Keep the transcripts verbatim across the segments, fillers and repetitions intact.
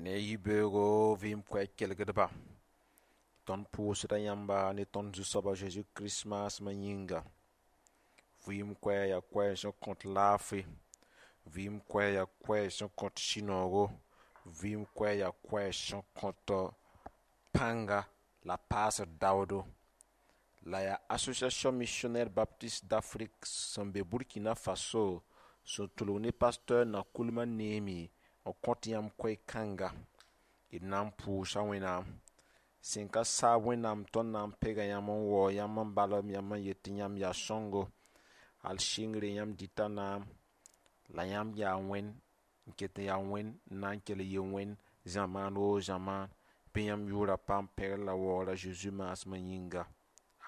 Ne yibeoogo vɩɩm koɛɛg kelgdba tõnd pʋʋsda yãmba ne tõnd Zu-soab a Zeezi Kirist maasmã yĩnga. Vɩɩm koɛɛg yaa koɛɛg sẽn kõt laafɩ, vɩɩm koɛɛg yaa koɛɛg sẽn kõt sũ-noogo, vɩɩm koɛɛg yaa koɛɛg sẽn kõt pãnga la paasd daoodo. La yaa Association Missionnaire Baptiste d'Afrique sẽn be Burkina Faso sẽn tʋlg ne pasteur Nakoulma Néemi n kõt yãmb koɛɛ-kãnga. D na n pʋʋsa Wẽnnaam sẽn ka saab Wẽnnaam tõnd na n pega yãmb n waoog yãmb n balem yãmb n yet tɩ yãmb yaa sõngo hal sɩngre yãmb dɩta naam la yãmb yaa wẽnd n ket n yaa wẽnd n na n kell n yɩ wẽnd zamaan woo zamaan bɩ yãmb yʋʋra paam pɛgr la waoora Zeezi maasmã yĩnga.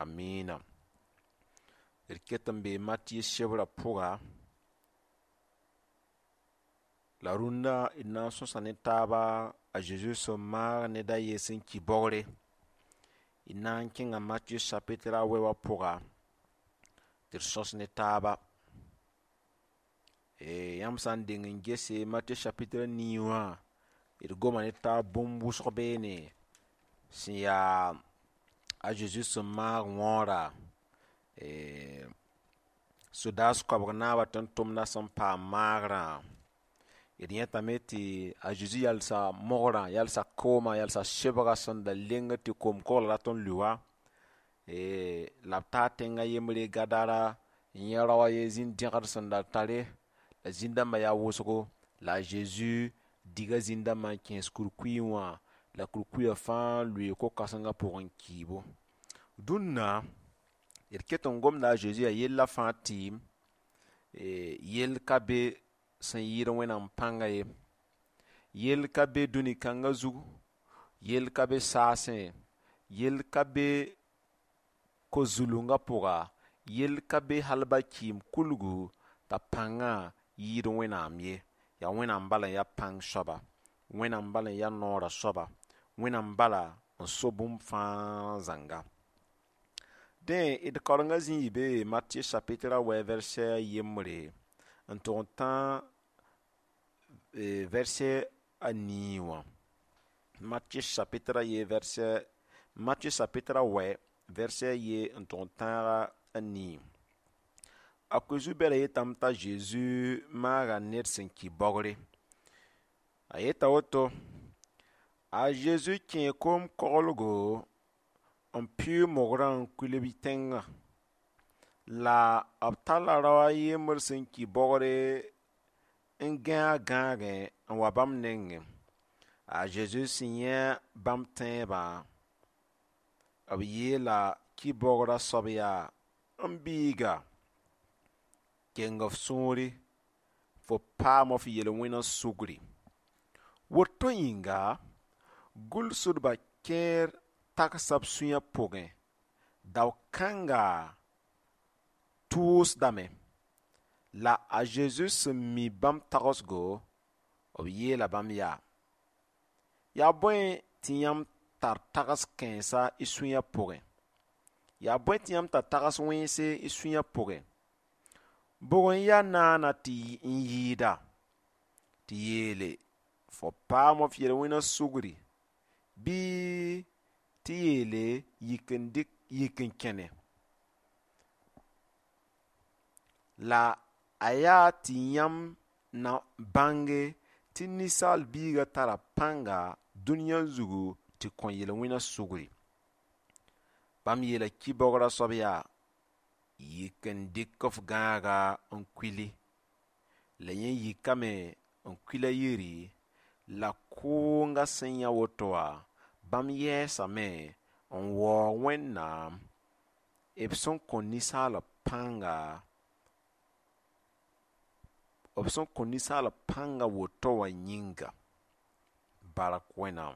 Amiina. D ket n bee Matɩyɛ sebrã pʋga la rũndã d na n sõsa ne taaba a Zeezi sẽn maag ned a yen sẽn ki baoogre. D na n kẽnga Matɩyɛ chapitre a wɛ wã pʋga tɩ d sõs ne taaba. Yãmb sã n deng n gese Matɩyɛ chapitre a nii wã d goma ne taab bũmb wʋsg beene sẽn yaa a Zeezi sẽn maag wãoora sodaas koabg naabã tʋm-tʋmdã sẽn paam maagrã. D yẽtame tɩ a Zeezi yalsa mogrã, yalsa koomã, yalsa sebgã sẽn da lengd tɩ koom-koglã rat n lʋ wã la b taa tẽng a yembre Gadara n yẽ rao a yen zĩn-dẽgd sẽn da tare la zĩn-dãmbã yaa wʋsgo la a Zeezi diga zĩn-dãmbã n kẽes kurkuy wã la kurkuyã fãa lʋɩ ko-kãsengã pʋgẽ kiibo. Dũnna d ket n gomda a Zeezi yaa yella fãa tɩɩm yell ka be sẽn yɩɩd Wẽnnaam pãnga ye, yell ka be dũni kãngã zugu, yell ka be saasẽ, yell ka be ko-zulungã pʋga, yell ka be hal ba kɩɩm kulgu t'a pãngã yɩɩd Wẽnnaam ye. Yaa Wẽnnaam bala n yaa pãng soaba, Wẽnnaam bala n yaa noorã soaba, Wẽnnaam bala n so bũmb fãa zãnga. Dẽ d kaorengã zĩ n yɩ be Matɩyɛ chapitre a wɛ verset a yembre n tʋg n tã verset a nii wã. Matɩyɛ chapitre a ye verset Matɩyɛ chapitre a wɛ verset a ye n tʋg n tãaga a nii. A Koe-zu-bɛlã yetame t'a Zeezi maaga ned sẽn ki baoogre. A yeta woto a Zeezi kẽe koom-koglgo n pɩʋʋg mogrã n kuil b tẽngã la b talla rao a yembr sẽn ki baoogre n gãe a gãagẽ n wa bãmb nengẽ. A Zeezi sẽn yẽ bãmb tẽebã b yeela ki-baoogrã soab yaa m biiga keng f sũuri fo paama f yel-wẽna sugri. Woto yĩnga gʋlsdbã kẽer tagsa b sũyã pʋgẽ dao-kãnga tʋʋsdame la a Zeezi sẽn mi bãmb tagsgo b yeela bãmb yaa: yaa bõe tɩ yãmb tar tags kãensa y sũyã pʋgẽ? Yaa bõe tɩ yãmb tar tags wẽnse y sũyã pʋgẽ? Bʋg n yaa naana tɩ n yɩɩda tɩ yeele fo paama f yel-wẽna sugri bɩ tɩ yeele yik n dɩk yik n kẽne. La a yaa tɩ yãmb na bãnge tɩ ninsaal biigã tara pãnga dũniyã zugu tɩ kõ yel-wẽna sugri. Bãmb yeela ki-baoogrã soab yaa yik n dɩk f gãaga n kuili. La yẽ yikame n kuil a yiri la kʋʋngã sẽn yã woto wã bãmb yɛɛsame n waoog Wẽnnaam b sẽn kõ ninsaal pãnga b sẽn kõ ninsaal pãnga woto wã yĩnga. Bark Wẽnnaam.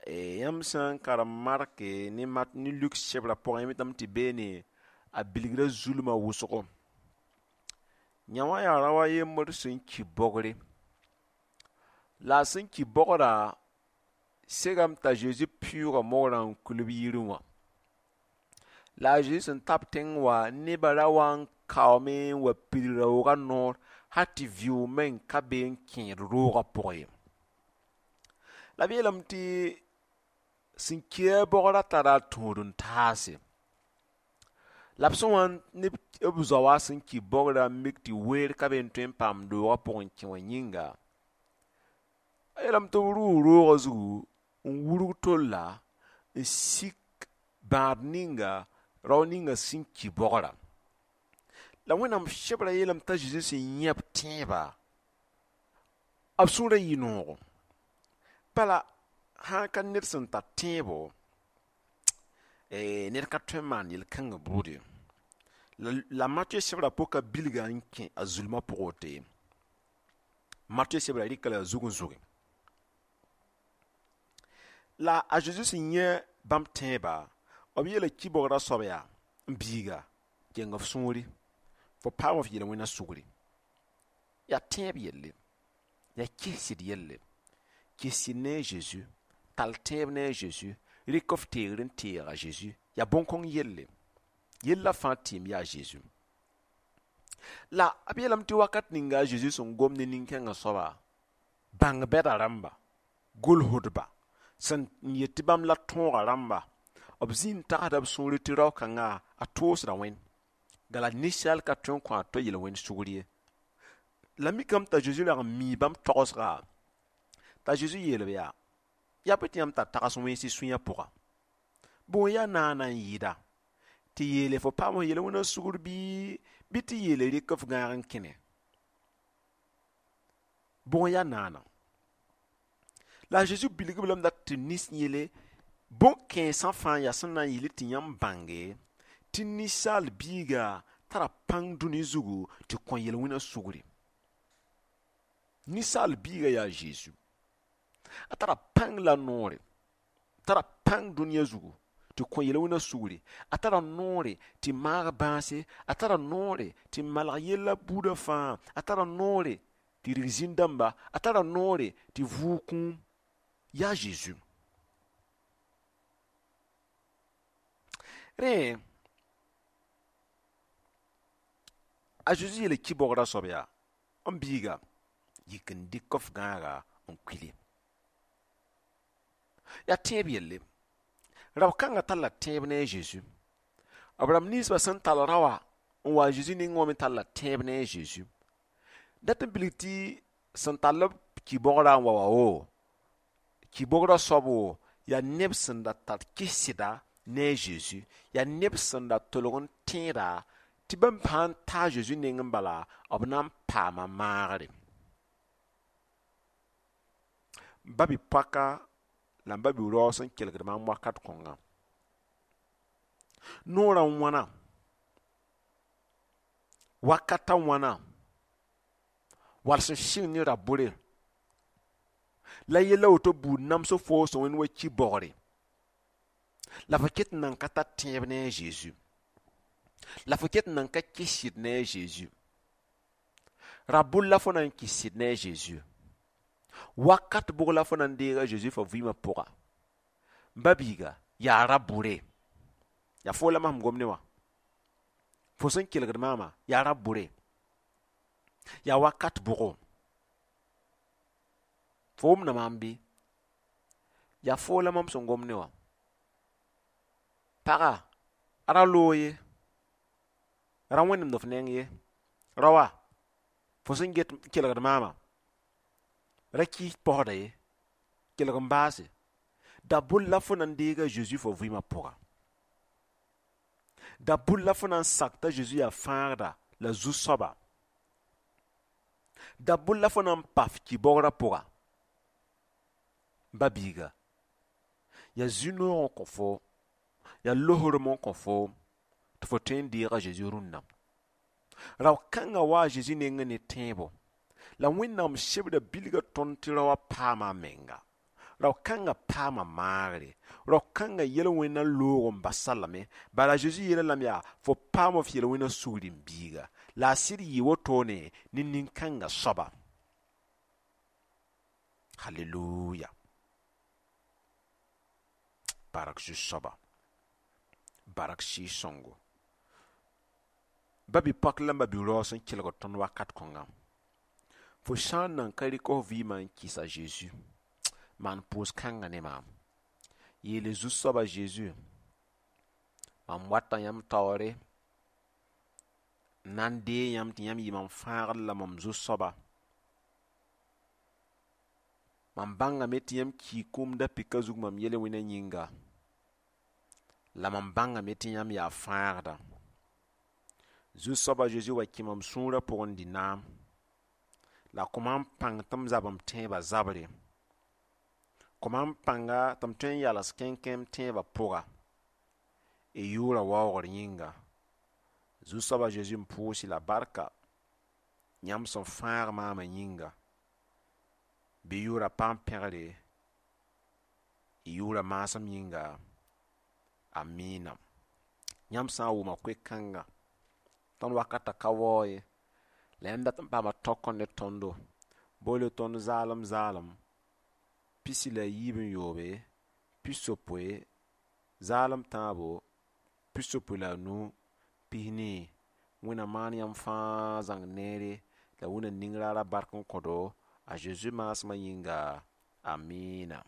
Yãmb sã n karem Marke ne Mat ne Luk sebrã pʋgẽ yãmb yetame tɩ beene a bilgra zulmã wʋsgo. Yã wã yaa rao a yembr sẽn ki baoogre. La a sẽn ki baoogrã segame t'a Zeezi pɩʋʋga mogrã n kuil b yirẽ wã. La a Zeezi sẽn ta b tẽng wã nebã ra wa n kaoome n wa pids raoogã noor hal tɩ vɩʋʋg meng ka be n kẽed roogã pʋgẽ ye. La b yeelame tɩ sẽn kia bogrã tara tũud n taase. La b sẽn wa ne b zaoã sẽn ki bogrã n mik tɩ weer ka be n tõe n paam doogã pʋgẽ n kẽ wã yĩnga, a yeelame tɩ b rʋʋ roogã zugu n wurg tolla n sik bãad ninga rao ninga sẽn ki bogrã. La Wẽnnaam sebra yeelame t'a Zezi sẽn yã b tẽebã, b sũurã yɩ noogo. Bala sã n ka ned sẽn tar tẽebo, ned ka tõe n maan yel-kãngã buud ye. La Matɩyã sebra pʋka bilga n kẽ a zulmã pʋgẽ woto ye. Matɩyã sebra rɩka la a zug n zʋge. La a Zezi sẽn yã bãmb tẽebã, b yeela ki-bogrã soab yaa: n biiga, keng f sũuri, fo paam f yel-wẽna sugri. Yaa tẽeb yelle, yaa kɩsd yelle. Kɩsd ne a Zeezi, tall tẽeb ne a Zeezi, rɩk f teegr n teeg a Zeezi, yaa bõn-kõng yelle. Yella fãa tɩɩm yaa Zeezi. La b yeelame tɩ wakat ninga a Zeezi sẽn gom ne nin-kãngã soaba, bãng bɛda rãmba, gʋlsdba, sẽn yet tɩ bãmb la tõogã rãmba, b zĩ n tagsda b sũuri tɩ rao-kãngã a toosda Wẽnd. Gala ninsaal ka tõe n kõ a to yel-wẽnd sugr ye. La mikame t'a Zeezi rag n mii bãmb togsga, t'a Zeezi yeel-b yaa: yaa bɩ tɩ yãmb tar tags wẽns y sũyã pʋga. Bõe yaa naana n yɩɩda tɩ yeele fo paam f yel-wẽna sugr bɩ bɩ tɩ yeele rɩk f gãag n kẽne? Bõe yaa naana? La a Zeezi bilg-b lame dat tɩ nins yele bõn-kãensã fãa yaa sẽn na n yɩl tɩ yãmb bãnge tɩ ninsaal biiga tara pãng dũni zugu tɩ kõ yel-wẽna sugri. Ninsaal biiga yaa Zeezi. A tara pãng la noore, tara pãng dũniyã zugu tɩ kõ yel-wẽna sugri. A tara noore tɩ maag bãase, a tara noore tɩ malg yella buudã fãa, a tara noore tɩ rig zĩn-dãmba, a tara noore tɩ vʋʋg kũum. Yaa Zeezi. Rẽ, a Zeezi yeela ki-bogrã soab yaa: n biiga, yik n dɩk f gãaga n kuili. Yaa tẽeb yelle. Rao-kãngã talla tẽeb ne a Zeezi. B rãmb ninsbã sẽn tall raoã n wa a Zeezi nengẽ wã me talla tẽeb ne a Zeezi. Dat n bilg tɩ sẽn tall b ki-bogrã n wa wa wo, ki-bogrã soab wo, yaa neb sẽn da tar kɩsda ne a Zeezi, yaa neb sẽn da tolg n tẽeda tɩ bãmb sã n ta a Zeezi nengẽ bala, b na n paama maagre. Ba-bi-poaka la b ba-bi-raoog sẽn kelgd maam wakat kõnga. Noorã n wãna, wakata wãna, wall sẽn sɩng ne ra-bʋre. La yella woto buud namsg foo sẽn wẽnd wa ki-bogre. La fo ket n nan ka tar tẽeb ne a Zeezi. La fo ket n nan ka kɩsd ne a Zeezi. Ra-bʋl la fo na n kɩsd ne a Zeezi. Wakat bʋg la fo na n deeg a Zeezi fo vɩɩmã pʋga. Ba-biiga, yaa ra-bʋre. Yaa foo la mam gom ne wã. Fo sẽn kelgd maamã, yaa ra-bʋre. Yaa wakat bʋgo. Fo wʋmda maam bɩ? Yaa foo la mam sẽn gom ne wã. Paga, a ra loog ye, ra wẽnemd f neng ye. Raoã, fo sẽn get n kelgd maamã, ra kɩɩs paoosda ye, kelg n baase. Da-bʋl la fo na n deeg a Zeezi fo vɩɩmã pʋga. Da-bʋl la fo na n sak t'a Zeezi yaa fãagda la zu-soaba. Da-bʋl la fo na n pa f ki-bogrã pʋga. Ba-biiga, yaa zĩ-noog n kõ fo, yaa losrem n kõ fo tɩ fo tõe n deeg a Zeezi rũnnã. Rao-kãngã wa a Zeezi nengẽ ne tẽebo. La Wẽnnaam sebra bilga tõnd tɩ raoã paama a menga. Rao-kãngã paama maagre. Rao-kãngã yel-wẽna loog n bas-a lame. Bala Zeezi yeela lame yaa: fo paam f yel-wẽna sugr n biiga. La a sɩd yɩ wotone ne nin-kãngã soaba. Halleluya. Barak Zu-soaba. Barak Sɩɩg-sõngo. Ba-bi-poak la ba-bi-raoog sẽn kelgd tõnd wakat kõnga. Fo sã n nan ka rɩk f vɩɩmã n kɩs a Zeezi, Maan pʋʋs-kãngã ne maam. Yeele Zu-soaba Zeezi, mam wata yãmb taoore n na n deeg yãmb tɩ yãmb yɩ mam fãagd la mam zu-soaba. Mam bãngame tɩ yãmb kii kũum da-pɩkã zug mam yel-wẽnã yĩnga, la mam bãngame tɩ yãmb yaa fãagda. Zu-soaba Zeezi wa kẽ mam sũurã pʋgẽ n dɩ naam, la kõ maam pãng tɩ m zab m tẽebã zabre. Kõ maam pãnga tɩ m tõe n yals kẽnkẽ m tẽebã pʋga. Y yʋʋrã waoogr yĩnga. Zu-soaba Zeezi, m pʋʋs-y la barka yãmb sẽn fãag maamã yĩnga. Bɩ yʋʋrã paam pẽgre, y yʋʋrã maasem yĩnga. Amiina. Yãmb sã n wʋma koe-kãngã, tõnd wakatã ka waoog ye, la yãmb dat n paama tõk ne tõndo. Boole tõnd zaalem zaalem pisi la yiib n yoobe, pisopoe, zaalem tãabo, pisopoe la a nu, pis-nii. Wẽnna maan yãmb fãa zãng neere la Wẽnna ning raara bark n kõdo a Zeezi maasmã yĩnga. Amiina.